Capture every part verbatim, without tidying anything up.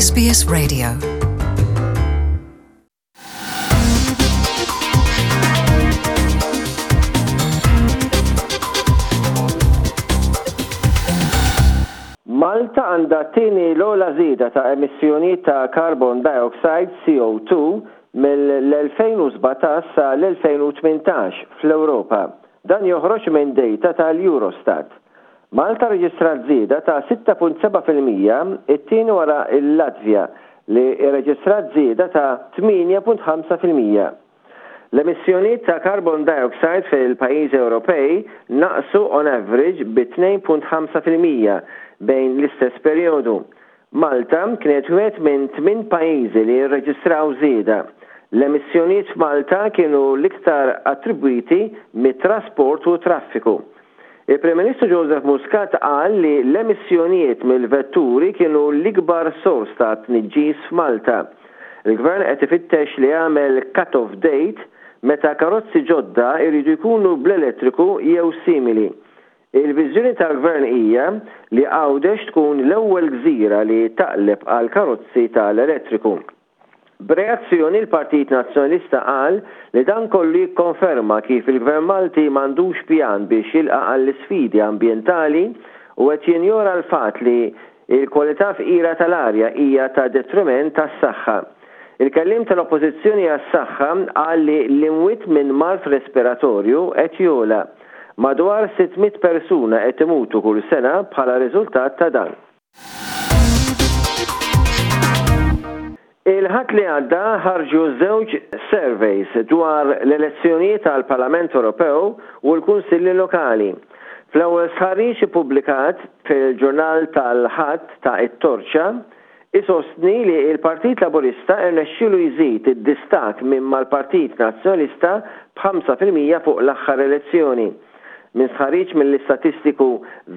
S B S Radio. Malta għandha t-tieni l-ogħla żieda ta' emissjonijiet ta' carbon dioxide C O two mill-elfejn u sbatax sa l-elfejn u tmintax fl-Ewropa. Dan joħroġ minn data tal-Eurostat. Malta reġistrat żieda ta' sitta punt seba' fil-mija, it-tieni wara l-Latvja li reġistrat żieda ta' tmienja punt ħamsa fil-mija. L-emissjonijiet ta' carbon dioxide fil-pajjiżi Ewropej naqsu on average bi tnejn punt ħamsa fil-mija bejn l-istess perjodu. Malta kienet wieħed minn tmien pajjiżi li rreġistraw żieda. L-emissjonijiet f'Malta kienu l-iktar attribwiti mit-trasport u traffiku. Il-Prim Ministru Joseph Muscat qal li l-emissjonijiet mill-vetturi kienu l-ikbar sors ta' tniġġis f'Malta. Il-Gvern qed ifittex li jagħmel cut-off date meta karozzi ġodda jridu jkunu bl-elettriku jew simili. Il-viżjoni tal-Gvern hija li Għawdex tkun l-ewwel gżira li taqleb għal karozzi tal-elettriku. B'reazzjoni, l-Partit Nazzjonalista qal li dan kollu jikkonferma kif il-Gvern Malti m'għandux pjan biex jilqa' għall-isfidi ambjentali u qed jinjora l-fatt li il-kwalità fqira tal-arja hija ta' detriment tas-saħħa. Il-kellim tal-Oppożizzjoni għas-saħħa qal li l-imwiet minn mard respiratorju qed jogħla. Madwar sitt mitt persuna qed imutu kull sena bħala riżultat ta' dan. Il-Ħadd li għadda ħarġu żewġ surveys dwar l-elezzjonijiet tal-Parlament Ewropew u l-Kunsilli Lokali. Fl-ewwel stħarriġ ippubblikat fil-ġurnal tal-Ħadd ta' It-Torċa isostni li il-Partit Laburista irnexxielu jżid id-distak minn mal-Partit Nazzjonalista b'ħamsa fil-mija fuq l-aħħar elezzjoni. Minn stħarriġ mill-istatistiku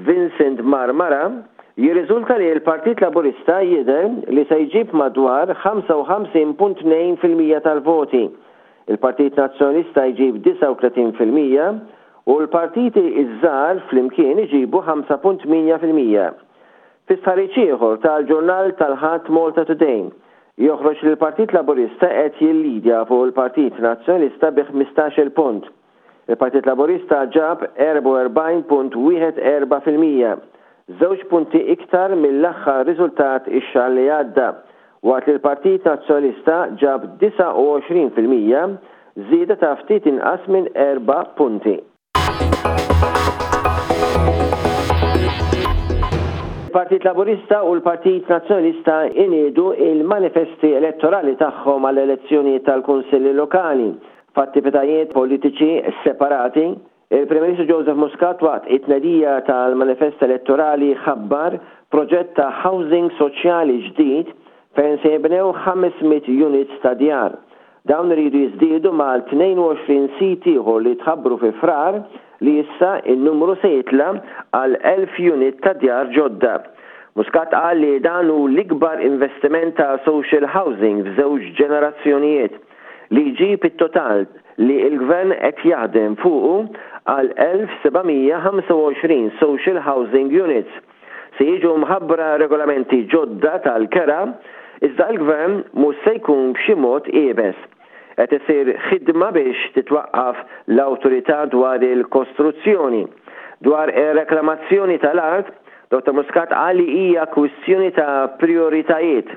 Vincent Marmara jirriżulta li l-Partit Laburista jidher li se jġib madwar ħamsa u ħamsin punt tnejn fil-mija tal-voti. Il-Partit Nazzjonalista jġib disgħa u tletin fil-mija u l-partiti iż-żgħar flimkien iġibu ħamsa punt tmienja fil-mija. Fi stħarriġ ieħor tal-ġurnal tal-Ħadd Malta Today joħroġ li l-Partit Laburista qed jillidja fuq il-Partit Nazzjonalista bi ħmistax-il punt. Il-Partit Laburista ġab erbgħa u erbgħin punt wieħed erba' fil-mija, żewġ punti iktar mill-aħħar riżultat ix-xahar li għadda, waqt li l-Partit Nazzjonalista ġab disgħa u għoxrin fil-mija, żieda ta' ftit inqas minn erba' punti. Il-Partit Laburista u l-Partit Nazzjonalista iniedu il-manifesti elettorali tagħhom għall-elezzjoni tal-Kunsilli Lokali f'attivitajiet politiċi separati. Il-Prim Ministru Joseph Muscat waqt it-tnedija tal-manifest elettorali ħabbar proġett ta' housing soċjali ġdid fejn se jibnew ħames mitt units ta' djar. Dawn iridu jiżdiedu mal-tnejn u għoxrin sit ieħor li tħabbru fi Frar, li issa il-numru se jitla għal elf unit ta' djar ġodda. Muscat qal li dan hu l-ikbar investiment ta' social housing f'żewġ ġenerazzjonijiet, li jġib it-total li il-gvern qed jaħdem fuqu għal elf seba' mija ħamsa u għoxrin social housing units. Se jiġu mħabbra regolamenti ġodda tal-kera, iżda l-gvern mhux se jkun b'xi mod iebes. Qed isir ħidma biex titwaqqaf l-awtorità dwar il-kostruzzjoni. Dwar ir-reklamazzjoni tal-art, Dottor Muscat qal li hija kwistjoni ta' prioritajiet.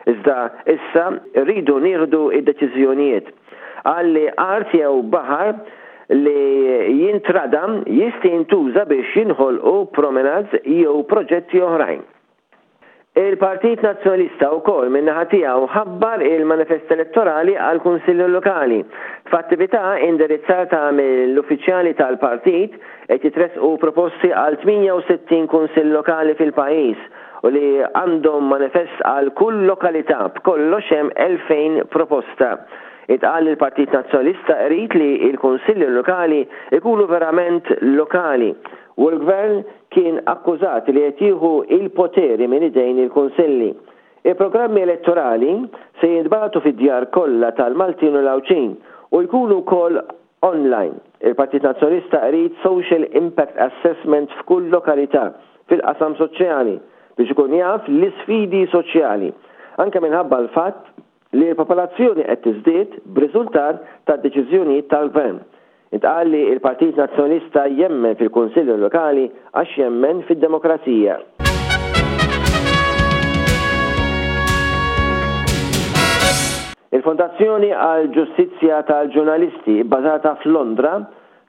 Iżda issa rridu nieħdu id-deċiżjonijiet. Qal li art jew baħar li jintradam jista' jintuża biex jinħolqu promenades jew proġetti oħrajn. Il-Partit Nazzjonalista wkoll min-naħa tiegħu ħabbar il-manifest elettorali għal Kunsilli Lokali. F'attività indirizzata mill-uffiċjali tal-partit qed jitresqu proposti għal tmienja u sittin kunsill lokali fil-pajjiż u li għandhom manifest għal kull lokalità, b'kollox hemm elfejn proposta. Intqal li l-Partit Nazzjonalista irid li il-Kunsilli Lokali ikunu verament lokali u l-Gvern kien akkużat li qed jieħu il-poteri minn idejn il-Kunsilli. Il-programmi elettorali se jintbagħtu fid-djar kollha tal-Maltin u l-Għawdxin u jkunu wkoll online. Il-Partit Nazzjonalista irid Social Impact Assessment f'kull lokalità fil-qasam soċjali biex ikun jaf l-isfidi soċjali. anke minħabba l-fatt li l-popolazzjoni qed tiżdied b'riżultat tad-deċiżjonijiet tal-Gvern. Intqal li l-Partit Nazzjonalista jemmen fil-Kunsilli Lokali għax jemmen fid-demokrazija. Il-Fondazzjoni għall-Ġustizzja tal-Ġurnalisti bbażata f'Londra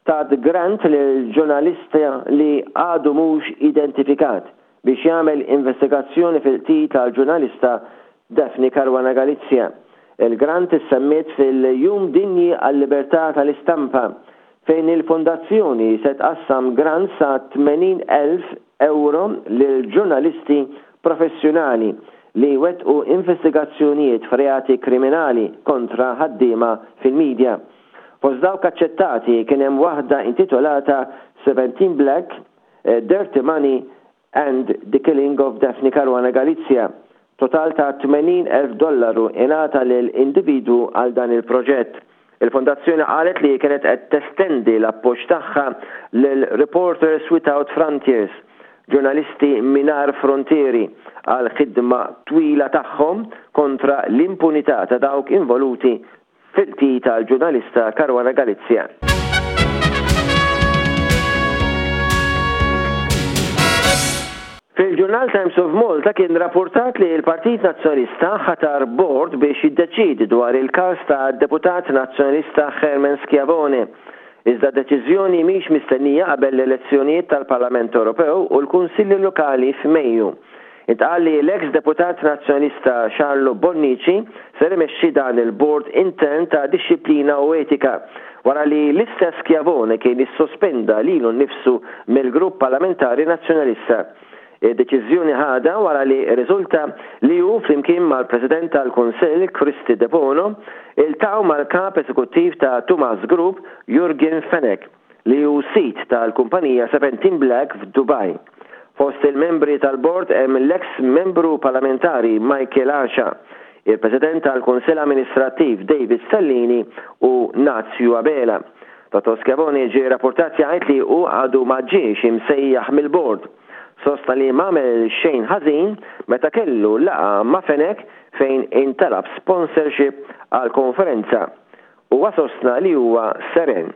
tat grant lil ġurnalista li għadu mhux identifikat biex jagħmel investigazzjoni fil-qtil tal-ġurnalista Daphne Caruana Galizia. Il-grant issemmiet fil-Jum Dinji għal-Libertà tal-Istampa fejn il-fondazzjoni se tqassam grant sa tmenin elf euro lil ġurnalisti professjonali li wettqu investigazzjonijiet f'reati kriminali kontra ħaddiema fil-medja. Fost dawk aċċettati kien hemm waħda intitolata seventeen Black, eh, Dirty Money and the Killing of Daphne Caruana Galizia. Total ta' tmenin elf dollaru ingħata lil individwu għal dan il-proġett. Il-fondazzjoni qalet li kienet qed testendi l-appoġġ tagħha lil Reporters Without Frontiers, ġurnalisti mingħajr frontieri, għal ħidma twila tagħhom kontra l-impunità ta' dawk involuti fil-qtil tal-ġurnalista Caruana Galizia. Fil-ġurnal Times of Malta kien rapportat li l-Partit Nazzjonalista ħatar board biex jiddeċidi dwar il-każ ta' deputat nazzjonalista Herman Schiavone. Iżda deċiżjoni mhix mistennija qabel l-elezzjonijiet tal-Parlament Ewropew u l-Kunsilli Lokali f'Mejju. Intqal li l-ex deputat nazzjonalista Charlo Bonnici ser imexxi dan il-board intern ta' dixxiplina u etika wara li l-istess Schiavone kien issospenda lilu nnifsu mill-grupp parlamentari nazzjonalista. Id-deċiżjoni ħadha wara li riżulta li hu flimkien mal-President tal-Kunsill Kristy Debono iltaqgħu mal-kap eżekuttiv ta' Tumas Group Jurgen Fenech, li hu sid tal-kumpanija seventeen Black f'Dubai. Fost il-membri tal-bord hemm l-ex membru parlamentari Michael Asha, il-President tal-Kunsill Amministrattiv David Stellini u Nazju Abela. Dottor Schiavone ġie rapportat jgħid li hu għadu ma ġiex imsejjaħ mill-bord. Sostna li m'għamel xejn ħażin meta kellu laqgħa ma' Fenech fejn intalab sponsorship għal konferenza. Huwa sostna li huwa seren.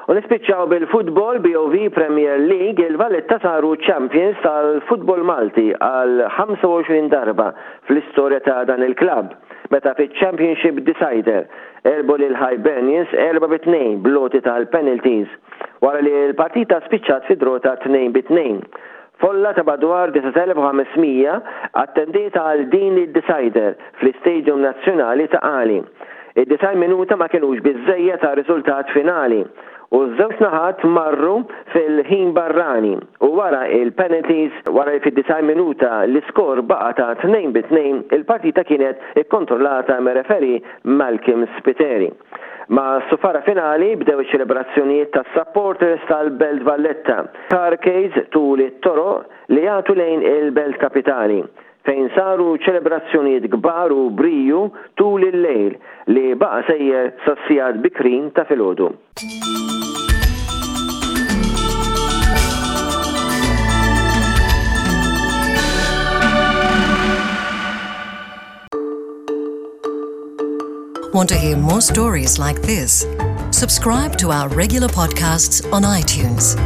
U nispiċċaw bil-futbol B O V Premier League. Il-Valletta saru champions tal-futbol Malti għal ħamsa u għoxrin darba fl-istorja ta' dan il-klab meta fiċ-Championship Decider għelbu lil Hibernians erba' bi tnejn bl-għoti tal-penalties wara li l-partita spiċċat fi draw ta' tnejn bi tnejn. Folla ta' madwar disa' elef u ħames mija attendiet għal din id-decider fl-Istadium Nazzjonali Ta' Qali. Id-disgħin minuta ma kienux biżżejjed għar-riżultat finali u ż-żewġ naħat marru fil-ħin barrani u wara il-penalties. Wara li fid-disgħin minuta l-iskor baqa ta' tnejn bi tnejn, il-partita kienet ikkontrollata mir-referee Malcolm Spiteri. Mas-sufara finali bdew iċ-ċelebrazzjonijiet tas supporters tal-Belt Valletta, carcades tul it-toroq li jagħtu lejn il-Belt Kapitali, fejn saru ċelebrazzjonijiet kbar u briju tul il-lejl li baqa sejjer sas-sigħat bikrin ta' filgħodu. Want to hear more stories like this? Subscribe to our regular podcasts on iTunes.